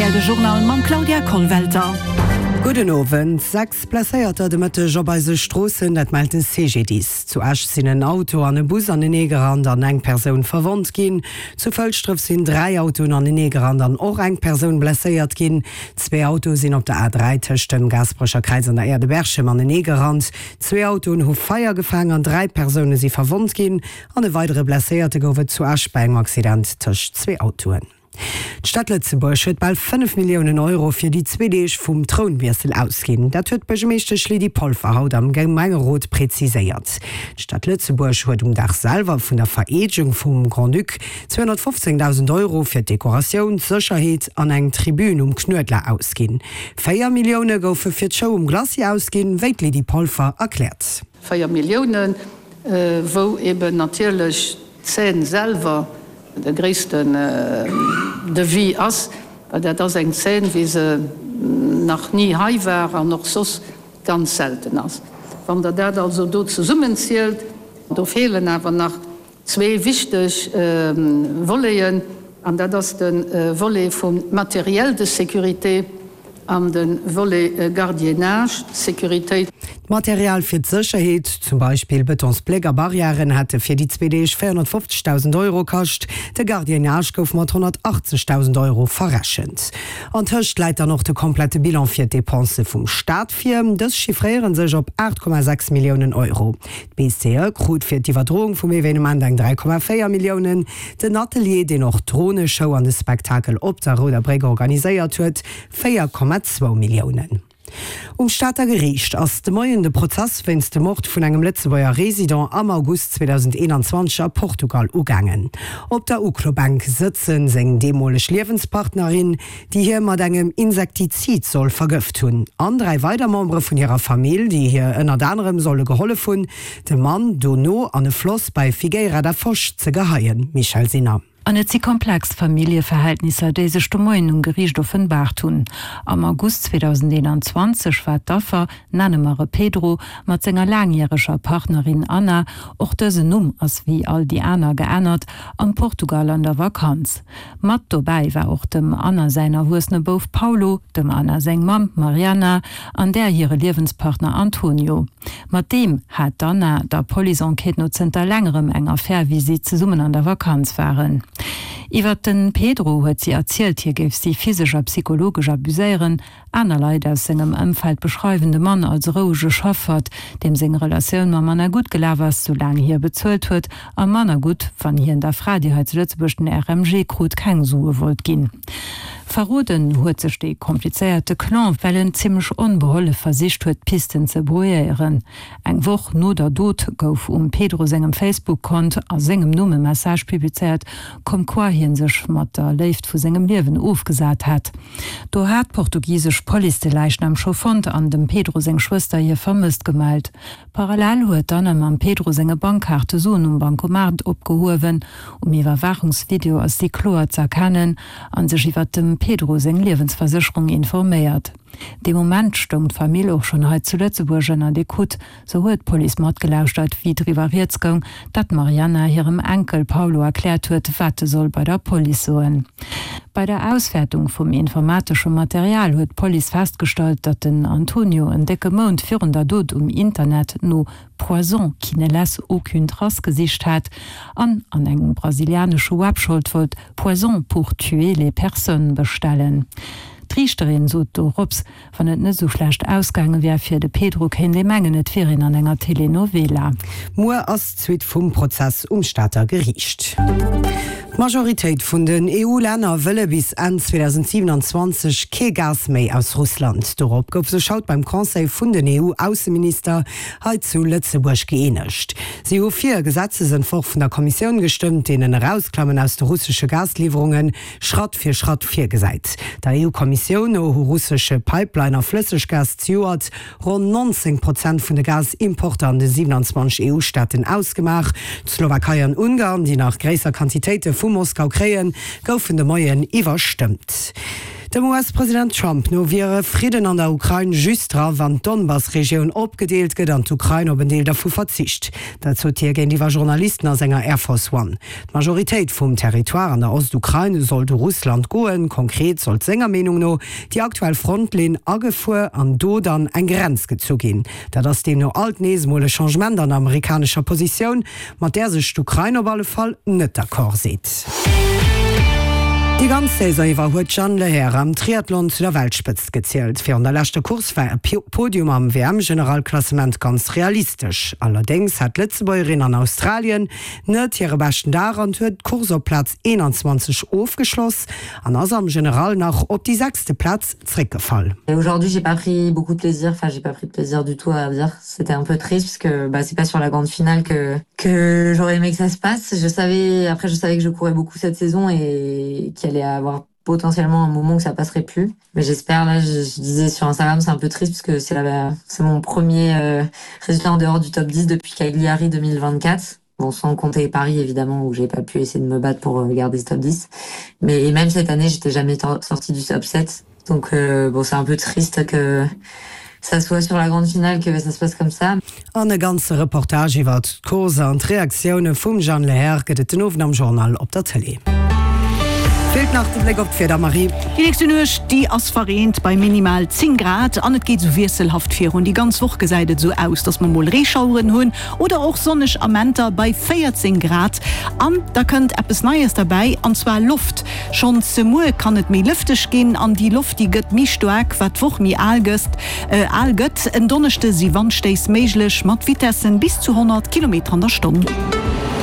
Rtl de Journal mam Claudia Kollwelter. Gudden Owend. 6 Blesséierter de Mëtteg op eise Stroossen, dat mellt de CGDIS. Zu Esch sinn en Auto an e Bus anenee gerannt an eng Persoun verwonnt ginn. Zu Fëlschdref sinn 3 Autoen anenee gerannt an och eng Persoun blesséiert ginn. Zwee Autoe sinn op der A3 tëscht dem Gaasperecher Kräiz an der Aire de Berchem anenee gerannt. Zwee Autoen hu Feier gefaang an 3 Persoune si verwonnt ginn. An e weidere Blesséierte gouf et zu Esch bei engem Accident tëscht zwee Autoen. D'Stad Lëtzebuerg huet bal 5 Milliounen Euro fir déi zwee Deeg vum Trounwiessel ausginn. Dat huet d'Buergermeeschtesch Lydie Polfer haut am Gemengerot preziséiert. D'Stad Lëtzebuerg huet um Dag selwer vun der Vereedegung vum Grand-Duc 215.000 Euro fir d'Dekoratioun, d'Sécherheet an eng Tribün um Knuedler ausginn. 4 Millioune goufe fir d'Show um Glacis ausginn, wéi d'Lydie Polfer erkläert. 4 Milliounen, wou eben natierlech d'Scène selwer de gréissten Devis ass, well dat ass eng Scène, wéi se nach ni hei war an och soss ganz selten ass. Wann Der dat also do zesummenzielt, do feelen awer nach Zwee wichteg Voleten, an dat ass de Volet vum Matériel de sécurité an de Volet Gardiennage, Sécuritéit. D'Material fir d'Sécherheet, zum Beispill Betonsbléck a Barrièren, hätte fir déi zwee Deeg 450.000 Euro kascht. De Gardiennage gouf mat 180.000 Euro verrechent. Antëscht läit dann och de komplette Bilan fir d'Depensë vum Staat vir. Dës chiffréiere sech op 8,6 Milliounen Euro. D'BCE krut fir d'Iwwerdroung vum Evenement eng 3,4 Milliounen. Den Atelier, deen och d'Droneshow an de Spektakel op der Rouder Bréck organiséiert huet, 4,2 Milliounen. Um Stater Geriicht ass de Moien de Prozess wéinst dem Mord vun engem Lëtzebuerger Resident am August 2021 a Portugal ugaangen. Op der Uklobänk sëtze seng deemoleg Liewenspartnerin, déi hie mat engem Insektizid soll vergëft hunn, an 3 weider Membere vun hirer Famill, déi hir ënnert anerem solle gehollef hunn, de Mann dono an e Floss bei Figueira da Foz ze geheien. Michèle Sinner. An et si komplex Familljeverhältnisser, déi sech de Moien um Geriicht offenbaart hunn. Am August 2021 war d'Affer, nenne mer e Pedro, mat senger laangjäreger Partnerin Anna, och dësen Numm ass wéi all déi aner geännert, am Portugal an der Vakanz. Mat dobäi war och dem Anna säin erwuessene Bouf Paulo, dem Anna seng Mamm Mariana an där hire Liewenspartner Antonio. Mat deem hat d'Anna der Police-Enquête no zënter längerem eng Affär, wéi si zesummen an der Vakanz waren. Iwwert de Pedro huet si erzielt, hie géif si physesch a psychologesch abuséieren. Aner Leit aus sengem Ëmfeld beschreiwen de Mann als rouege Chaffert, deem seng Relatioun mam Anna gutt gelaf ass, soulaang hie bezuelt huet, a manner gutt, wann hien der Fra, déi hei zu Lëtzebuerg den RMG krut, keng Sue wollt ginn. Verroden huet sech dee komplizéierte Clan, well en zimmlech onbehollef versicht huet, d'Pisten ze brouilléieren. Eng Woch no der Dot gouf um Pedro sengem Facebook-Kont a sengem Numm e Message publizéiert, comme quoi hie sech mat der Léift vu sengem Liewen ofgesat hätt. Do hat d'portugisesch Police de Läichnam scho fonnt an dem Pedro seng Schwëster hie vermësst gemellt. Parallel huet d'Anna mam Pedro senge Bankkaarte Suen um Bancomat opgehuewen. Um Iwwerwaachungsvideo ass si kloer z'erkennen a sech iwwer dem Pedro seng Liewensversécherung informéiert. Dee Moment stoung d'Famill och schonn hei zu Lëtzebuerg ënnert Ecoute. Sou huet d'Police matgelauschtert, wéi driwwer rieds goung, datt d'Marianna hirem Enkel Paulo erkläert huet, wat e soll bei der Police soen. Bei der Auswäertung vum informatesche Material huet d'Police festgestallt, datt den Antonio en décke Mount virun der Dot um Internet no Poison qui ne laisse aucune trace gesicht hat an an engem brasilianesche Websholt wollt Poison pour tuer les personnes bestellen. D'Riichterin sot dorops, Wann et net esou schlecht ausgaange wär fir de Pedro, kéint ee mengen, et wier een an enger Telenovela. Muer ass d'Suite vum Prozess um Stater Geriicht. D'Majoritéit vun den EU-Länner wëlle bis Enn 2027 kee Gas méi aus Russland. Dorop gouf sech haut beim Conseil vun den EU-Ausseminister hei zu Lëtzebuerg gëeenegt. Si hu fir e Gesetzesentworf vun der Kommissioun gestëmmt, deen en Erausklammen aus de russesche Gasliwwerunge Schratt fir Schratt virgesäit. Der EU-Kommissioun no hu russesche Pipeline a Flësseggas zejoert ronn 19 Prozent vun de Gasimporter an de 27 EU-Staaten ausgemaach. D'Slowakei an Ungarn, déi nach gréisser Quantitéite vu Moskau kréien, goufen de Moien iwwerstëmmt. Dem US-President Trump no wier e Fridden an der Ukrain just dra, wann d'Donbass-Regioun opgedeelt gëtt an d'Ukrain op en Deel dervu verzicht. Dat sot hie géintiwwer Journalisten a senger Air Force One. D'Majoritéit vum Territoire an der Ostukrain sollt u Russland goen. Konkret sollt senger Meenung no déi aktuell Frontlinn agefuer an do dann eng Grenz gezu ginn. Dat ass deemno alt nees emol e Changement an der amerikanescher Positioun, mat där sech d'Ukrain op alle Fall net d'accord seet. Déi ganz Saison iwwer huet d'Jeanne Lehair am Triathlon zu der Weltspëtzt gezielt. Virun der leschter Course war e Podium am WM-Generalklassement ganz realistesch. Allerdéngs hat d'Lëtzebuergerin an Australien net hire beschten Dag an huet d'Course op Plaz 21 ofgeschloss an ass am General nach op déi sechste Plaz zréckgefall. Aujourd'hui j'ai pas pris beaucoup de plaisir, enfin j'ai pas pris de plaisir du tout à dire. C'était un peu triste parce que bah, c'est pas sur la grande finale que, que j'aurais aimé que ça se passe. Je savais, après je savais que je courais beaucoup cette saison et qu'il allait avoir potentiellement un moment que ça passerait plus. Mais j'espère, là je, je disais sur Instagram, c'est un peu triste parce que c'est la, c'est mon premier euh, résultat en dehors du top 10 depuis Cagliari 2024. Bon, sans compter Paris évidemment où j'ai pas pu essayer de me battre pour euh, garder ce top 10. Mais et même cette année, j'étais jamais sortie du top 7. Donc euh, bon, c'est un peu triste que ça soit sur la grande finale que ça se passe comme ça. An e ganze Reportage iwwert d'Course an d'Reaktioune vum Jeanne Lehair gëtt et den Owend am Journal op der Tëlee. Feelt nach de Bléck op d'Wieder, Marie. Déi nächste Nuecht, déi ass verreent bei minimal 10 Grad an et geet esou wiesselhaft virun. Déi ganz Woch gesäit et esou aus, dass mer mol Reeschaueren hunn oder och sonneg Amenter bei 14 Grad. An da kënnt eppes Neies derbäi, an zwar Loft. Schonns muer kann et méi lëfteg ginn an déi Loft, déi gëtt méi staark, wat d'Woch méi al gëtt. En Donneschde si Wandstéiss méiglech mat Vitessen bis zu 100 Kilometer an der Stonn.